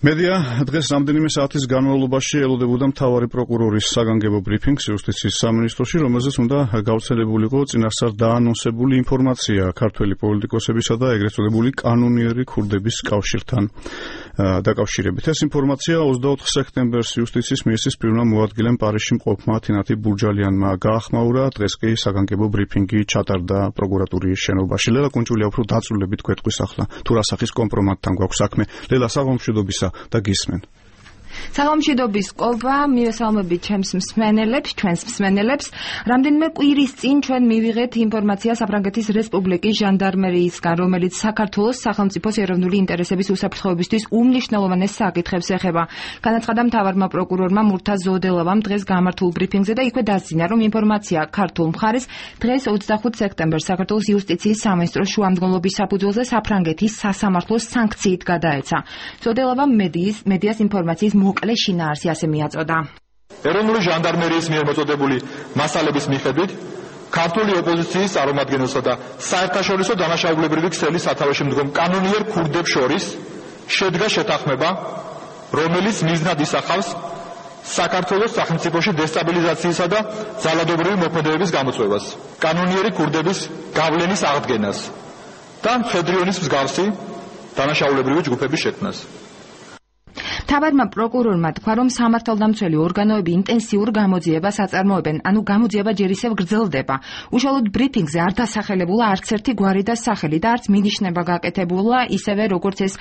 მედია დღეს რამდენიმე საათის განმავლობაში ელოდებოდა მთავარი პროკურორის საგანგებო ბრიფინგს იუსტიციის სამინისტროში, რომელზეც უნდა გავრცელებულიყო წინასწარ დაანონსებული ინფორმაცია ქართველი პოლიტიკოსებისა და ეგრეთ წოდებული კანონიერი ქურდების კავშირთან დაკავშირებით. ეს ინფორმაცია 24 სექტემბერს იუსტიციის მინისტრის პირველმა მოადგილემ პარიზში მყოფმა თინათი ბურჯალიანმა გაახმაურა. დღეს კი საგანგებო ბრიფინგი ჩატარდა პროკურატურის შენობაში. ლელა კუნჭულია უფრო დაწვრილებით გვეტყვის ახლა თუ რა სახის კომპრომატთან გვაქვს საქმე. ლელა, საღამომშვიდობისა და გისმენ. საღამომშვიდობის ყობა, მივესალმებით ჩვენს მსმენელებს. რამდენიმე კვირის წინ ჩვენ მივიღეთ ინფორმაცია საფრანგეთის რესპუბლიკის ჟანდარმერიისგან, რომელიც საქართველოს სახელმწიფოს ეროვნული ინტერესების უსაფრთხოებისთვის უმნიშვნელოვანეს საკითხებს ეხება. განაცხადა მთავარმა პროკურორმა მურთაზ ზოდელავამ დღეს გამართულ ბრიფინგზე და იქვე დასძინა, რომ ინფორმაცია ქართულ მხარეს დღეს 25 სექტემბერს საქართველოს იუსტიციის სამინისტროს შუამდგომლობის საფუძველზე საფრანგეთის სასამართლოს სანქციით გადაეცა. ზოდელავამ მედიას ინფორმაციის მოკლე შინაარსი ასე მიაწოდა. ეროვნული ჟანდარმერიის მიერ მოწოდებული მასალების მიხედვით ქართული ოპოზიციის წარმომადგენელსა და საერთაშორისო დანაშაულებრივი ქსელის სათავეში მდგომ კანონიერ ქურდებს შორის შედგა შეთანხმება, რომელიც მიზნად ისახავს საქართველოს სახელმწიფოში დესტაბილიზაციისა და ძალადობრივი მოქმედებების გამოწვევას, კანონიერი ქურდების გავლენის აღდგენას და მხედრიონის მსგავსი დანაშაულებრივი ჯგუფების შექმნას. მთავარმა პროკურორმა თქვა, რომ სამართალდამცველი ორგანოები ინტენსიურ გამოძიებას აწარმოებენ, ანუ გამოძიება ჯერ ისევ გრძელდება. უშუალოდ ბრიფინგზე არ დასახელებულა არც ერთი გვარი და სახელი და არც მინიშნება გაკეთებულა, ისევე როგორც ეს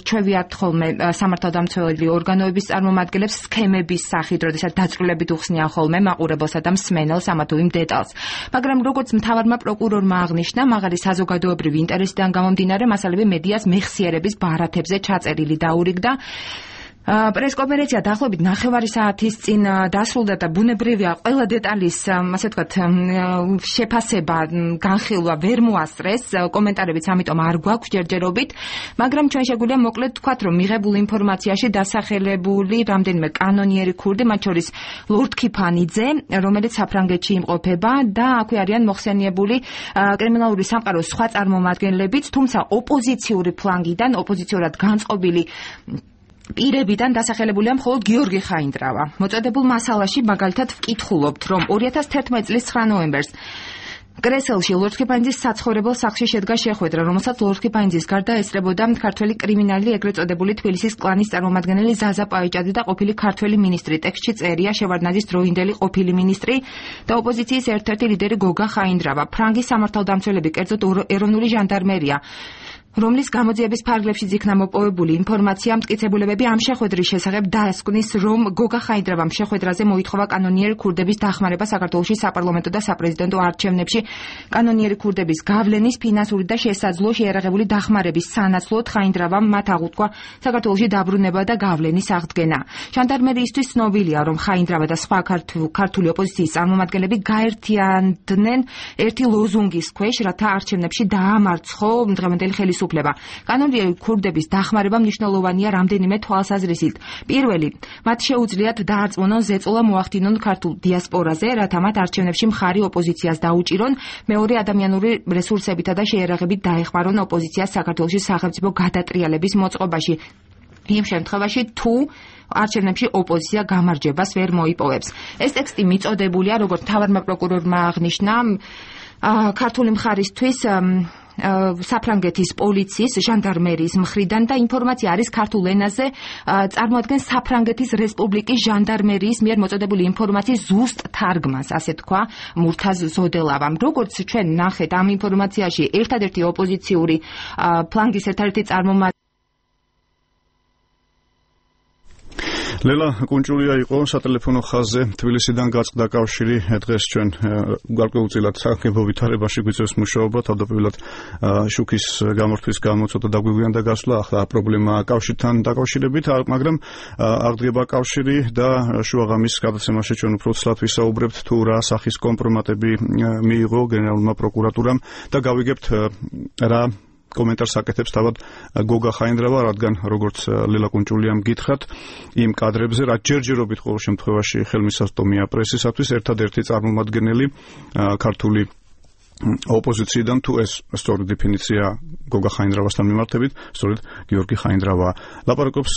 ჩვევიათ ხოლმე სამართალდამცველი ორგანოების წარმომადგენლებს სქემების სახით, როდესაც დაწვრილებით უხსნიან ხოლმე მაყურებელსა და მსმენელს ამა თუ იმ დეტალს. მაგრამ როგორც მთავარმა პროკურორმა აღნიშნა, მაღალი საზოგადოებრივი ინტერესიდან გამომდინარე, მასალები მედიას მეხსიერების ბარათებზე ჩაწერილი დაურიგდა. პრესკონფერენცია დაახლოებით 9 საათის წინ დასრულდა და ბუნებრივია ყველა დეტალის, ასე ვთქვათ, შეფასება, განხილვა ვერ მოასწრეს, კომენტარებიც ამიტომ არ გვაქვს ჯერჯერობით, მაგრამ ჩვენ შეგვიძლია მოკლედ ვთქვათ, რომ მიღებულ ინფორმაციაში დასახელებული რამდენიმე კანონიერი ქურდი, მათ შორის ლორდ ქიფანიძე, რომელიც საფრანგეთში იმყოფება და აქვე არიან მოხსენიებული კრიმინალური სამყაროს სხვა წარმომადგენლებიც, თუმცა ოპოზიციური ფლანგიდან, ოპოზიციურად განწყობილი პირებიდან დასახელებულია მხოლოდ გიორგი ხაინდრავა. მოწოდებულ მასალაში მაგალითად ვკითხულობთ, რომ 2011 წლის 9 ნოემბერს კრესელში ლორდ ქიფანიძის საცხოვრებელ სახლში შედგა შეხვედრა, რომელსაც ლორდ ქიფანიძის გარდა ესწრებოდა ქართველი კრიმინალი, ეგრეთ წოდებული თბილისის კლანის წარმომადგენელი ზაზა პაიჭადი და ყოფილი ქართველი მინისტრი. ტექსტში წერია შევარდნაძის დროინდელი ყოფილი მინისტრი და ოპოზიციის ერთ-ერთი ლიდერი გოგა ხაინდრავა. ფრანგის სამართალდამცველები, კერძოდ ეროვნული ჟანდარმერია, რომლის გამოძიების ფარგლებშიც იქნა მოპოვებული ინფორმაცია, მტკიცებულებები ამ შეხვედრის შესახებ დაასკვნის, რომ გოგა ხაინდრავამ შეხვედრაზე მოითხოვა კანონიერი ქურდების დახმარება საქართველოში საპარლამენტო და საპრეზიდენტო არჩევნებში. კანონიერი ქურდების გავლენის, ფინანსური და შესაძლო შეიარაღებული დახმარების სანაცვლოდ ხაინდრავამ მათ აღუთქვა საქართველოში დაბრუნება და გავლენის აღდგენა. ჟანდარმერიისთვის ცნობილია, რომ ხაინდრავა და სხვა ქართული ოპოზიციის წარმომადგენლები გაერთიანდნენ ერთი ლოზუნგის ქვეშ, რათა არჩევნებში დაამარცხო დღევანდელი ხელისუფლება. კანონიერი ქურდების დახმარება მნიშვნელოვანია რამდენიმე თვალსაზრისით. პირველი, მათ შეუძლიათ დაარწმუნონ ზეწოლა მოახდინონ ქართულ დიასპორაზე, რათა მათ არჩევნებში მხარი ოპოზიციას დაუჭირონ. მეორე, ადამიანური რესურსებითა და შეიარაღებით დაეხმარონ ოპოზიციას საქართველოში სახელმწიფო გადატრიალების მოწყობაში. იმ შემთხვევაში, თუ არჩევნებში ოპოზიცია გამარჯვებას ვერ მოიპოვებს. ეს ტექსტი მიწოდებულია, როგორც მთავარმა პროკურორმა აღნიშნა, ქართული მხარისთვის საფრანგეთის პოლიციის, ჟანდარმერიის მხრიდან და ინფორმაცია არის ქართულ ენაზე, წარმოადგენს საფრანგეთის რესპუბლიკის ჟანდარმერიის მიერ მოწოდებული ინფორმაციის ზუსტ თარგმანს, ასე თქვა მურთაზ ზოდელავამ. როგორც ჩვენ ნახეთ ამ ინფორმაციაში, ერთადერთი ოპოზიციური ფლანგის ერთადერთი წარმომადგენელი ლელა კუნჭულია იყო სატელეფონო ხაზზე თბილისიდან გაწყდა კავშირი. დღეს ჩვენ გარკვეულწილად საკითხებო ვითარებაში გვიწევს მუშაობა, თავდაპირველად შუქის გამორთვის გამო ცოტა დაგვიგვიანდა გასვლა, ახლა პრობლემა კავშირთან დაკავშირებით, მაგრამ აღდგება კავშირი და შუაღამის გადაცემაში ჩვენ უფრო ცლად ვისაუბრებთ თუ რა სახის კომპრომატები მიიღო გენერალურმა პროკურატურამ და გავიგებთ რა კომენტარს აკეთებს თავად გოგა ხაინდრავა, რადგან როგორც ლელა კუნჭულიამ გითხრათ, იმ კადრებზე, რაც ჯერჯერობით ყოველ შემთხვევაში ხელმისაწვდომია პრესისათვის, ერთადერთი წარმომადგენელი ქართული ოპოზიციიდან თუ ეს სწორი დეფინიცია გოგა ხაინდრავასთან მიმართებით, სწორედ გიორგი ხაინდრავა. ლაპარაკობს